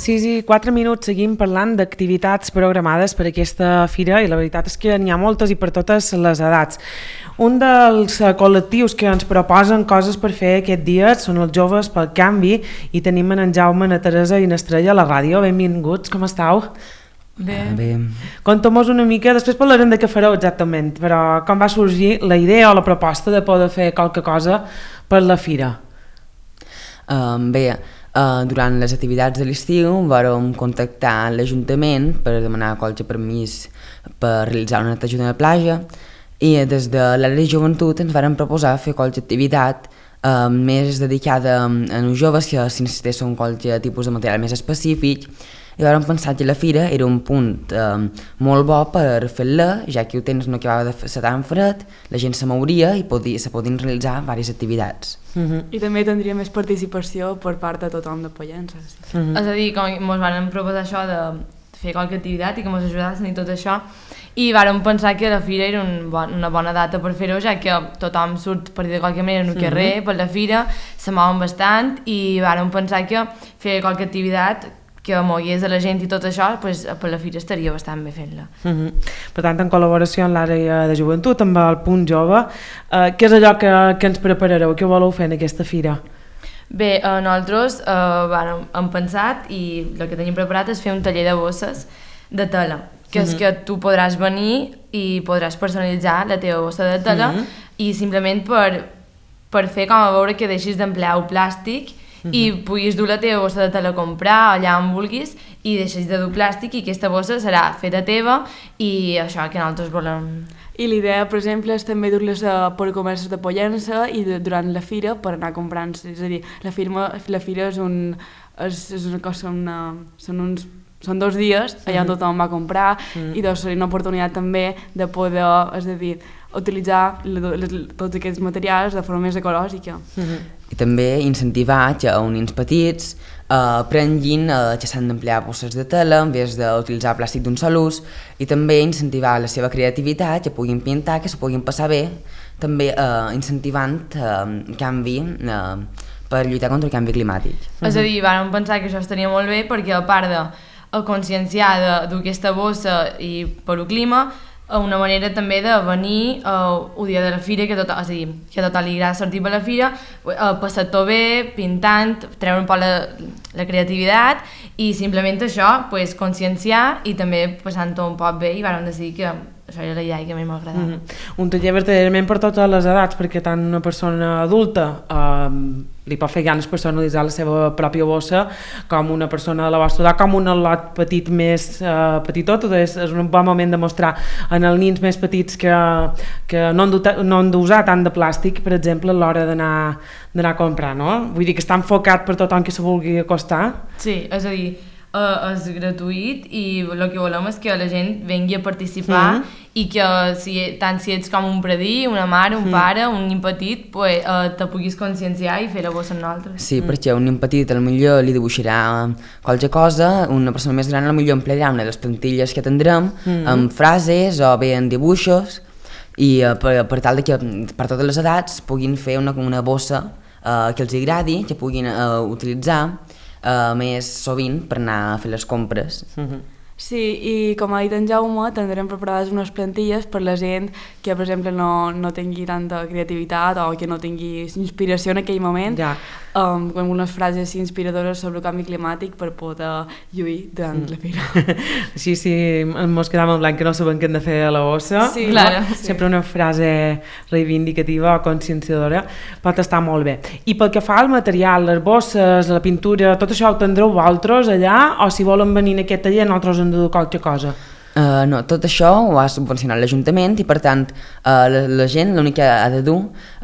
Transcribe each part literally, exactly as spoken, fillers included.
sis i quatre minuts seguim parlant d'activitats programades per aquesta fira i la veritat és que n'hi ha moltes i per totes les edats. Un dels col·lectius que ens proposen coses per fer aquest dia són els Joves pel Canvi i tenim en Jaume, na Teresa i na Estrella a la ràdio. Benvinguts, com estàu? Bé. Ah, bé. Conta'm-nos una mica, després parlarem de què fareu exactament, però com va sorgir la idea o la proposta de poder fer qualque cosa per la fira? Um, bé, uh, durant les activitats de l'estiu vam contactar l'Ajuntament per demanar qualsevol permís per realitzar una neteja de la platja i des de l'àrea de joventut ens varen proposar fer qualsevol activitat uh, més dedicada a els joves que si necessitessin qualsevol tipus de material més específic. I vam pensar que la fira era un punt eh, molt bo per fer-la, ja que el temps no acabava de ser tan fred, la gent se mouria i podia, se podien realitzar diverses activitats. Uh-huh. I també tindria més participació per part de tothom de Pollença. Sí. Uh-huh. És a dir, com ens van proposar això de fer qualque activitat i que ens ajudassin i tot això, i vàrem pensar que la fira era un bon, una bona data per fer-ho, ja que tothom surt per dir de qualque manera en el carrer, uh-huh. per la fira, se mouen bastant, i vàrem pensar que fer qualque activitat que mogués a la gent i tot això, pues, per la fira estaria bastant bé fent-la. Uh-huh. Per tant, en col·laboració amb l'àrea de joventut, amb el Punt Jove, eh, què és allò que, que ens preparareu? Què voleu fer en aquesta fira? Bé, eh, nosaltres eh, bueno, hem pensat i el que tenim preparat és fer un taller de bosses de tela, que és uh-huh. que tu podràs venir i podràs personalitzar la teva bossa de tela uh-huh. i simplement per, per fer com a veure que deixis d'emplear el plàstic Uh-huh. i puguis dur la teva bossa de tela a comprar allà on vulguis i deixis de dur plàstic i aquesta bossa serà feta teva i això que nosaltres volem. I l'idea, per exemple, és també dur-les per comerços de Pollença i de, durant la fira per anar comprant. És a dir, la, firma, la fira és, un, és, és una cosa, una, són uns són dos dies allà on tothom va comprar uh-huh. i doncs seria una oportunitat també de poder, és a dir, utilitzar le, le, tots aquests materials de forma més ecològica. Uh-huh. I també incentivar que uns nens petits eh, aprenguin eh, que s'han d'emplear bosses de tela en vez d'utilitzar plàstic d'un sol ús i també incentivar la seva creativitat, que puguin pintar, que s'ho puguin passar bé, també eh, incentivant eh, canvi eh, per lluitar contra el canvi climàtic. Uh-huh. És a dir, vam pensar que això estaria molt bé perquè a part de a conscienciar d'aquesta bossa i per el clima, una manera també de venir uh, el dia de la fira, que tot, és a dir, que a tothom li agrada sortir per la fira, uh, passar-t'ho bé, pintant, treure un poc la, la creativitat i simplement això, pues, conscienciar i també passant-ho un poc bé i vam decidir que això era la idea que a mi m'agradava. Mm-hmm. Un taller verdaderament per totes les edats, perquè tant una persona adulta eh, li pot fer ganes personalitzar la seva pròpia bossa, com una persona de la vostra edat, com un al·lot petit més eh, petitot. És, és un bon moment de mostrar en els nins més petits que, que no han d'usar tant de plàstic, per exemple, a l'hora d'anar d'anar a comprar, no? Vull dir que està enfocat per tothom que se vulgui acostar. Sí, és a dir, Uh, és gratuït i el que volem és que la gent vengui a participar mm-hmm. i que si, tant si ets com un predí, una mare, un mm. pare, un nen petit, pues, uh, te puguis conscienciar i fer la bossa amb nosaltres. Sí, mm. perquè un nen petit potser li dibuixarà qualque cosa, una persona més gran potser emplearà una de les plantilles que tindrem mm-hmm. amb frases o bé en dibuixos i uh, per, per tal de que per totes les edats puguin fer una, una bossa uh, que els agradi, que puguin uh, utilitzar Uh, més sovint per anar a fer les compres. Uh-huh. Sí, i com ha dit en Jaume, tindrem preparades unes plantilles per la gent que, per exemple, no, no tingui tanta creativitat o que no tingui inspiració en aquell moment, ja. um, amb unes frases inspiradores sobre el canvi climàtic per poder lluir durant mm. la fira. Sí, sí, mos quedàvem en blanc que no sabem què hem de fer a la bossa. Sí, claro. Sí. Sempre una frase reivindicativa o conscienciadora pot estar molt bé. I pel que fa al material, les bosses, la pintura, tot això ho tindreu vosaltres allà o si volen venir en aquest taller nosaltres hem de dur qualque cosa? Uh, no, tot això ho ha subvencionat l'Ajuntament i per tant uh, la, la gent l'únic que ha de dur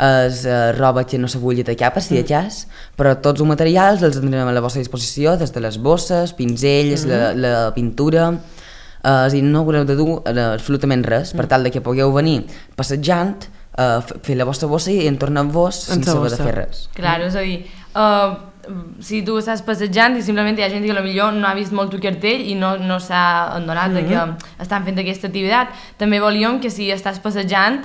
és uh, roba que no se vulgui tallar per si de cas, però tots els materials els tindrem a la vostra disposició, des de les bosses, pinzells, mm -hmm. la, la pintura, uh, és a dir, no haureu de dur uh, absolutament res per tal de que pugueu venir passejant, uh, fer la vostra bossa i entornar-vos sense haver de fer res. Clar, és a dir, uh, si tu estàs passejant i simplement hi ha gent que potser no ha vist molt el cartell i no, no s'ha adonat mm-hmm. que estan fent aquesta activitat, també volíem que si estàs passejant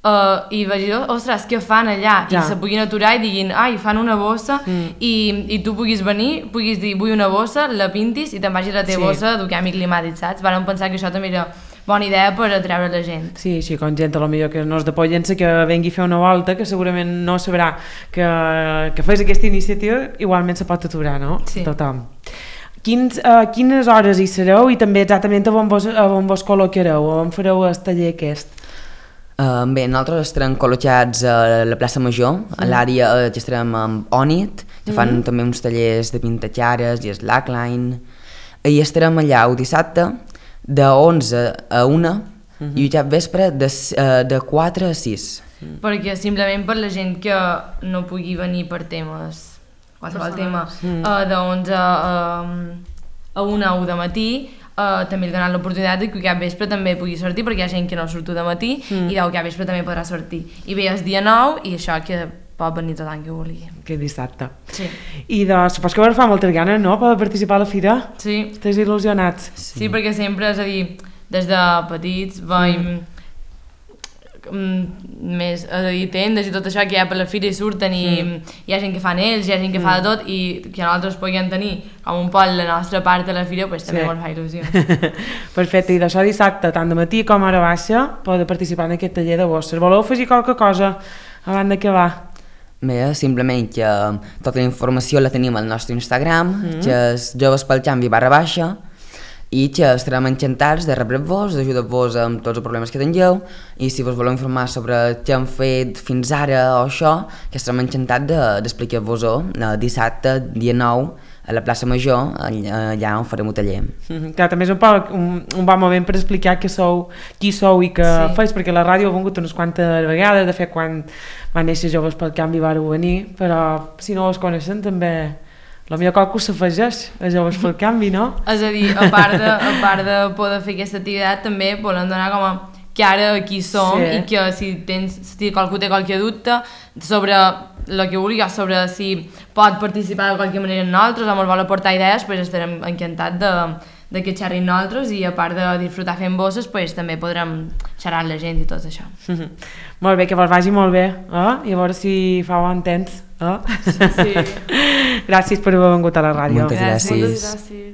Uh, i vaig dir, ostres, què fan allà? Ja. I se puguin aturar i diguin, ai, fan una bossa, mm. i, i tu puguis venir, puguis dir, vull una bossa, la pintis i te'n vagis a la teva Sí. bossa de canvi climàtic, saps? Vam pensar que això també era bona idea per atreure la gent. Sí, així com gent a lo millor que no és de Pollença que vengui a fer una volta, que segurament no sabrà que, que fes aquesta iniciativa, igualment se pot aturar, no? Sí. Tothom. Quins, uh, quines hores hi sereu i també exactament a on vos, a on vos col·locareu, on fareu el taller aquest? Uh, bé, nosaltres estarem col·locats a la plaça Major, a l'àrea uh, que estarem amb Onit, que fan mm. també uns tallers de pintatxares i slackline, i estarem allà el dissabte de onze a una mm-hmm. i cap vespre de, uh, de quatre a sis. Mm. Perquè simplement per la gent que no pugui venir per temes, qualsevol tema, mm. uh, de onze a, a una o de matí, Uh, també li donen l'oportunitat que cap vespre també pugui sortir, perquè hi ha gent que no surto de matí mm. i cap vespre també podrà sortir. I bé, és dia nou i això que pot venir tothom que vulgui. Que dissabte. Sí. I de, supos que vos fa moltes ganes, no?, per participar a la fira? Sí. Estàs il·lusionats? Sí. Sí, perquè sempre, és a dir, des de petits veiem mm. més, és a dir, tendes i tot això que hi ha per la fira i surten i mm. hi ha gent que fan ells, hi ha gent que mm. fa de tot i que nosaltres puguem tenir com un poc la nostra part de la fira, pues, també sí. Ens fa il·lusió. Perfecte, i d'això dissabte, tant de matí com a hora baixa, podeu participar en aquest taller de bosses. Voleu afegir qualque cosa abans d'acabar? Bé, simplement que tota la informació la tenim al nostre Instagram, mm. que és joves pel canvi barra baixa, i que estarem encantats de rebre-vos, d'ajudar-vos amb tots els problemes que tingueu, i si vos voleu informar sobre què hem fet fins ara o això, que estarem encantats d'explicar-vos-ho de, dissabte, dia nou, a la plaça Major, allà on farem un taller. Mm-hmm. Clar, també és un, poc, un, un bon moment per explicar que sou, qui sou i què sí. feis, perquè la ràdio ha vingut unes quantes vegades, de fet quan va néixer Joves pel Canvi vareu venir, però si no us coneixen també... La millor qualcú s'afegeix a Joves pel Canvi, no? És a dir, a part de, a part de poder fer aquesta activitat, també volem donar com a que ara aquí som sí. I que si, tens, si qualcú té qualque dubte sobre el que vulgui, sobre si pot participar de qualque manera en nosaltres o ens vol aportar idees, pues estarem encantats de, de que xerrin nosaltres i a part de disfrutar fent bosses, pues, també podrem xerrar amb la gent i tot això. Molt bé, que vos vagi molt bé, eh? I a veure si fa bon temps. Oh? Sí, sí. Gràcies per haver vingut a la ràdio. Moltes gràcies. Moltes gràcies.